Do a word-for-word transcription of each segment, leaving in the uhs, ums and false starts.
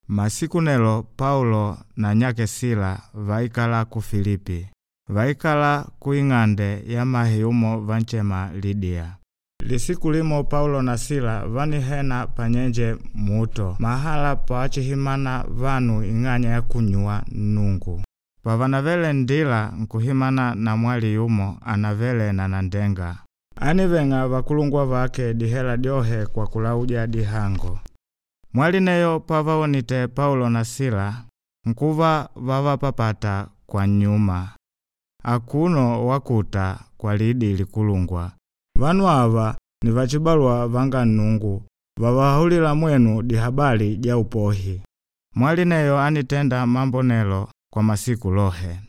Masiku nelo Paulo na nyake Sila vaikala ku Filipi. Vaikala ku ing'ande ya mahe yumo vanchema Lidia. Lisiku limo Paulo na Sila vanihena panyenje muto mahala pawachihimana vanu ing'anya ya kunyuwa Nnungu. Pavanavele ndila nkuhimana na mwali yumo anavele na nandenga. Aniveng'a vakulungwa vake dihela dyohe kwa kulauja dihango. Mwali neyo pavawonite Paulo na Sila nkuva vavapapata kwa nyuma. Akuno wakuta kwa lidi likulungwa. Vanu ava ni vachibalwa vanga Nnungu vavahulila mwenu dihabali ja upohi. Mwali neyo anitenda mambo nelo kwa masiku lohe.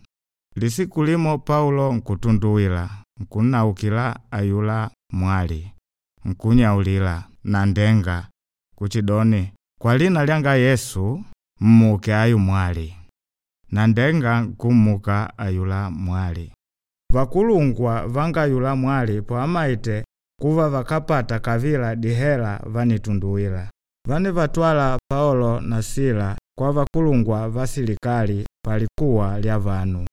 Lisiku limo Paulo nkutunduwila, nkunnaukila ayula mwali, nkunyaulila na ndenga kuchidoni, kwa lina lyanga Yesu mmuke ayu mwali. Na ndenga nkummuka ayula mwali. Vakulungwa vanga yula mwali poamaite kuva vakapata kavila dihela vanitunduwila. Vanivatwala Paulo na Sila kwa vakulungwa va silikali palikuwa lya vanu.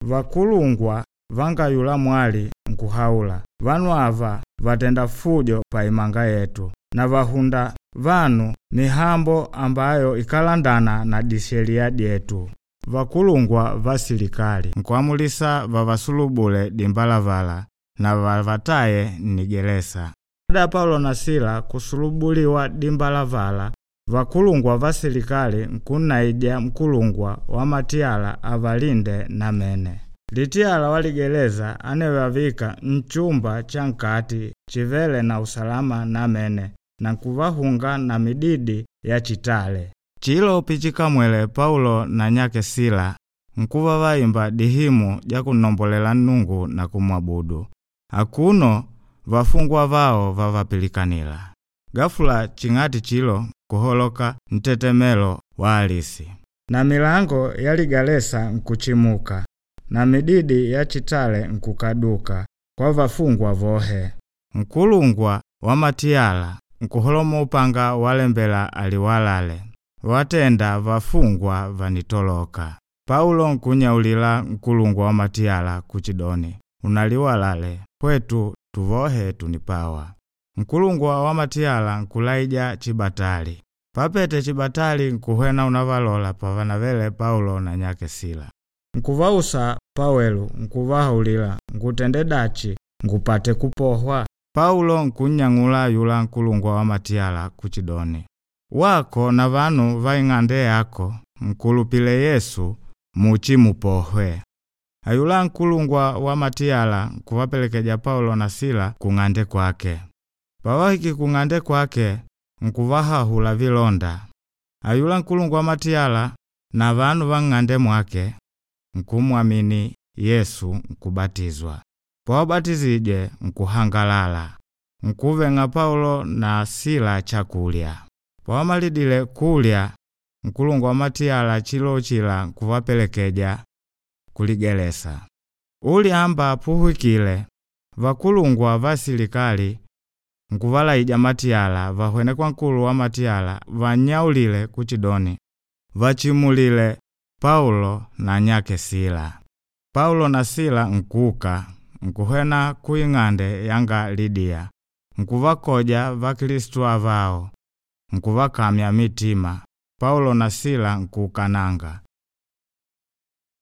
Vakulungwa vanga yula mwali nkuhaula, vanu ava vatenda fujo pa imanga yetu na vahunda vanu mihambo ambayo ikalandana na dishelia dyetu. Vakulungwa va silikali nkuamulisa vavasulubule dimbalavala na vavataye nnigeresa. Baada ya Paulo na Sila kusulubuliwa dimbalavala, vakulungwa va silikali nkunnaija mkulungwa wa matiyala avalinde namene. Litiyala wa ligereza anevavika nchumba cha nkati chivele na usalama namene na nkuvahunga na mididi ya chitale. Chilo pichikamwele Paulo na nyake Sila nkuva vaimba dihimu ja kunnombolela Nnungu na kumwabudu. Akuno vafungwa vao vavapilikanila. Ghafula ching'ati chilo kuholoka ntetemelo wa alisi. Na milango ya ligalesa nkuchimuka na mididi ya chitale nkukaduka kwa vafungwa vohe. Nkulungwa wa matiyala nkuholomo upanga walembela aliwalale. Watenda vafungwa vanitoloka. Paulo nkunyaulila nkulungwa wa matiyala kuchidoni, unaliwalale kwetu tuvohe tunipawa. Nkulungwa wa matiyala nkulaija chibatali. Papete chibatali nkuhwena unavalola pavanavele Paulo na nyake Sila. Nkuvausa pawelu nkuvahaulila ngutende dachi ngupate kupohwa. Paulo nkunnyang'ula yula nkulungwa wa matiyala kuchidoni, wako na vanu va ing'ande yako nkulupile Yesu muchi mupohwe. Ayula nkulungwa wa matiyala nkuvapelekeja Paulo na Sila kung'ande kwake. Pawahiki kung'ande kwake nkuvahahula vilonda. Ayula nkulungwa wa matiyala na vanu va ng'ande mwake nkumwamini Yesu nkubatizwa. Pawabatizije nkuhangalala. Nkuveng'a Paulo na Sila chakulya. Pawamalidile kulya nkulungwa wa matiyala chilo chila nkuvapelekeja kuligelesa. Ulyamba puhwikile vakulungwa va silikali nkuvalaija matiyala vahwene kwa nkulu wa matiyala vanyaulile kuchidoni vachimulile Paulo na nyake Sila. Paulo na Sila nkuka nkuhwena ku ing'ande yanga Lidia nkuvakoja Vakristu avao nkuvakamya mitima. Paulo na Sila nkukananga.